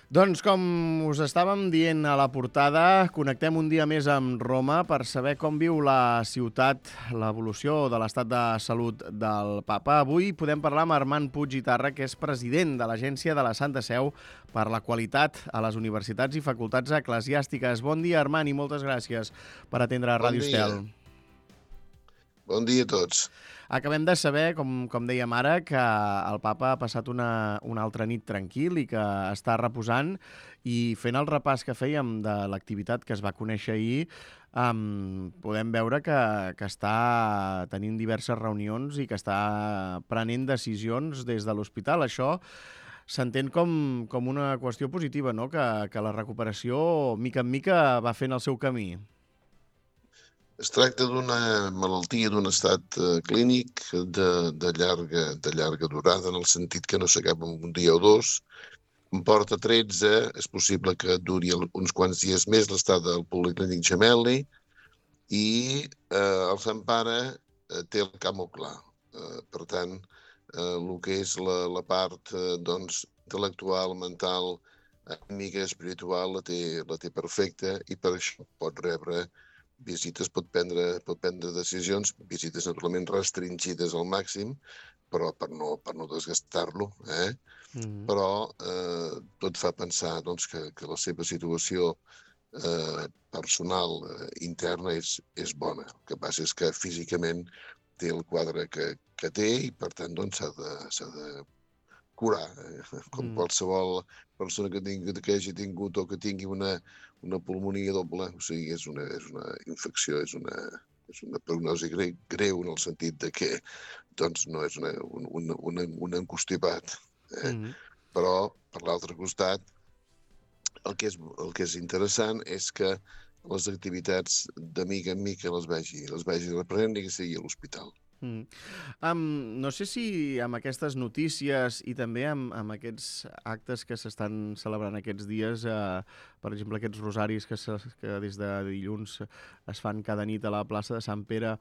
Doncs com us estàvem dient a la portada, connectem un dia més amb Roma per saber com viu la ciutat, l'evolució de l'estat de salut del papa. Avui podem parlar amb Armand Puig i Tarra, que és president de l'Agència de la Santa Seu per la qualitat a les universitats i facultats eclesiàstiques. Bon dia, Armand, i moltes gràcies per atendre Bon Ràdio dia. Estel. Bon dia a tots. Acabem de saber, com dèiem ara, que el papa ha passat una altra nit tranquil i que està reposant, i fent el repàs que fèiem de l'activitat que es va conèixer ahir, podem veure que està tenint diverses reunions i que està prenent decisions des de l'hospital. Això s'entén com una qüestió positiva, no? Que la recuperació, mica en mica, va fent el seu camí. Es tracta d'una malaltia d'un estat clínic de llarga durada, en el sentit que no s'acaba en un dia o dos. En porta 13, és possible que duri uns quants dies més l'estada al Policlínic Gemelli, i el Sant Pare té el camp molt clar. Per tant, el que és la part intel·lectual, mental, anímica, espiritual, la té perfecta, i per això pot rebre visites, pot prendre decisions, visites naturalment restringides al màxim, però per no desgastar-lo, Però tot fa pensar que la seva situació personal interna és bona. El que passa és que físicament té el quadre que té, i per tant s'ha de curar, com qualsevol persona que hagi tingut o que tingui una pulmonia doble. O sigui, és una infecció, és una prognosi greu, en el sentit de que no és un encostipat. Mm. Però, per l'altre costat, el que és interessant és que les activitats de mica en mica les vagi reprenent, i que sigui a l'hospital. Mm. No sé si amb aquestes notícies i també amb aquests actes que s'estan celebrant aquests dies, per exemple, aquests rosaris que des de dilluns es fan cada nit a la plaça de Sant Pere,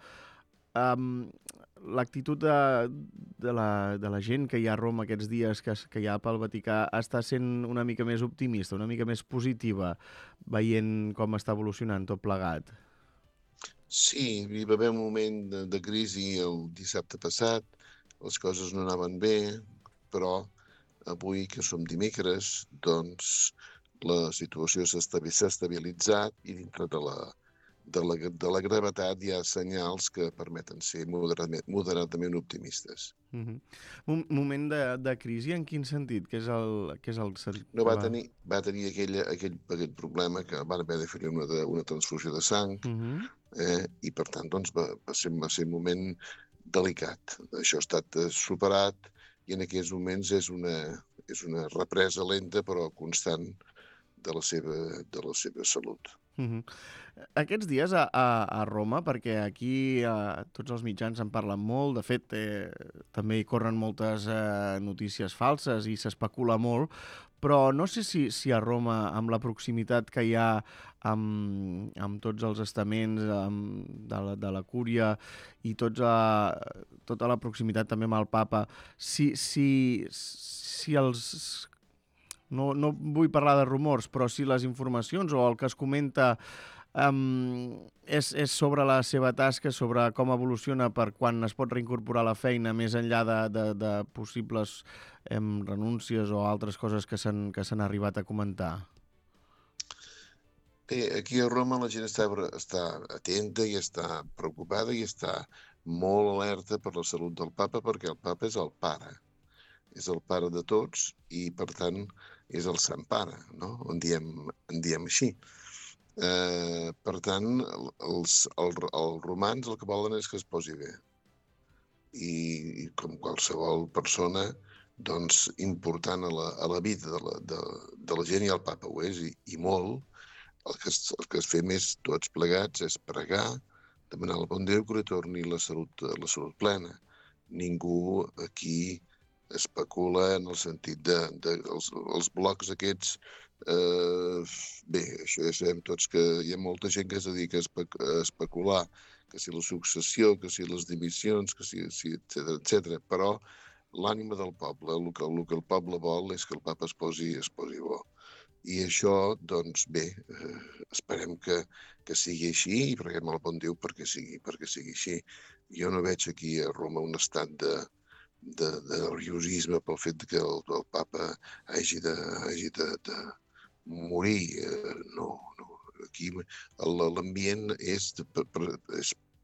l'actitud de la gent que hi ha a Roma aquests dies, que hi ha pel Vaticà, està sent una mica més optimista, una mica més positiva, veient com està evolucionant tot plegat. Sí, hi va haver un moment de crisi el dissabte passat, les coses no anaven bé, però avui, que som dimecres, doncs la situació s'ha estabilitzat, i dintre de la gravetat hi ha senyals que permeten ser moderadament optimistes. Moment de crisi en quin sentit? Què és el No que va va... tenir aquell problema que van haver de fer una transfusió de sang, i per tant va ser un moment delicat. Això ha estat superat, i en aquests moments és una represa lenta però constant de la seva salut. Aquests dies a Roma, perquè aquí tots els mitjans en parlen molt, de fet també hi corren moltes notícies falses i s'especula molt, però no sé si a Roma, amb la proximitat que hi ha amb tots els estaments de la cúria i tota la proximitat també amb el papa, si els... No vull parlar de rumors, però si les informacions o el que es comenta és sobre la seva tasca, sobre com evoluciona per quan es pot reincorporar a la feina, més enllà de possibles renúncies o altres coses que s'han arribat a comentar. Bé, aquí a Roma la gent està atenta i està preocupada i està molt alerta per la salut del papa, perquè el papa és el pare. És el pare de tots, i per tant és el Sant Pare, no? En diem així. Per tant, els romans el que volen és que es posi bé. I com qualsevol persona important a la vida de la gent, i el papa ho és, i molt, el que fem tots plegats és pregar, demanar al bon Déu que li torni la salut plena. Ningú aquí especula en el sentit els blocs aquests. Bé, això ja sabem tots que hi ha molta gent que es dedica a especular, que si la successió, que si les dimissions, que si etc. Però l'ànima del poble, el que el poble vol és que el papa es posi bo. I això, doncs bé, esperem que sigui així, i preguem al bon Déu perquè sigui així. Jo no veig aquí a Roma un estat de nerviosisme pel fet que el papa hagi de morir. No. Aquí l'ambient és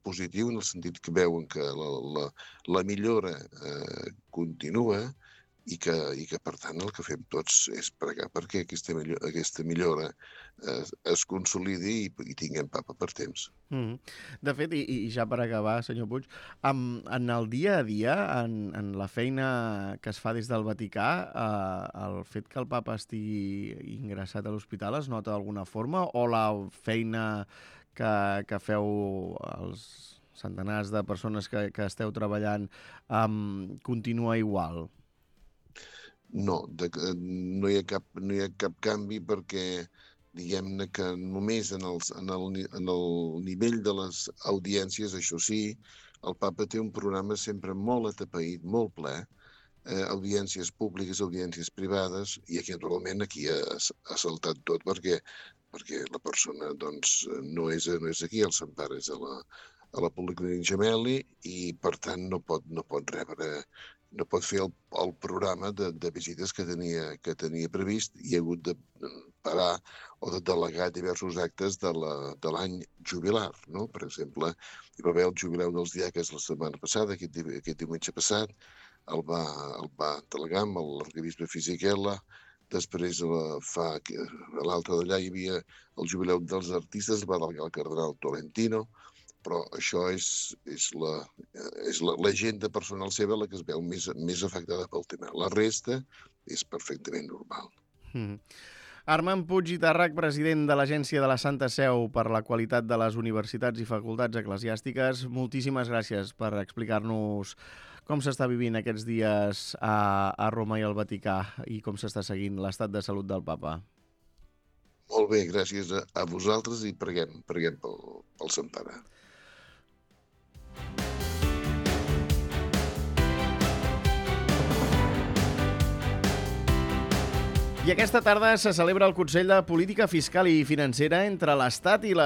positiu en el sentit que veuen que la millora continua i que, per tant, el que fem tots és pregar perquè aquesta millora es consolidi i tinguem papa per temps. De fet, i ja per acabar, senyor Puig, en el dia a dia, en la feina que es fa des del Vaticà, el fet que el papa estigui ingressat a l'hospital es nota d'alguna forma, o la feina que feu els centenars de persones que esteu treballant continua igual? No, no hi ha cap canvi perquè diguem-ne que només en el nivell de les audiències, això sí, el papa té un programa sempre molt atapeït, molt ple, audiències públiques, audiències privades, i aquí naturalment ha saltat tot perquè la persona doncs, no és aquí, el Sant Pare és a la Policlínica Gemelli, i per tant no pot fer el programa de visites que tenia previst, i ha hagut de parar o de delegar diversos actes de l'any jubilar, no? Per exemple, hi va haver el jubileu dels diaques la setmana passada, aquest diumenge passat, el va delegar amb l'arquebisbe Fisichella. Després, a l'altre d'allà hi havia el jubileu dels artistes, el va delegar el cardenal Tolentino, però això és l'agenda personal seva la que es veu més afectada pel tema. La resta és perfectament normal. Armand Puig i Tàrrech, president de l'Agència de la Santa Seu per la Qualitat de les Universitats i Facultats Eclesiàstiques, moltíssimes gràcies per explicar-nos com s'està vivint aquests dies a Roma i al Vaticà i com s'està seguint l'estat de salut del papa. Molt bé, gràcies a vosaltres, i preguem pel Sant Pare. I aquesta tarda se celebra el Consell de Política Fiscal i Financera entre l'Estat i les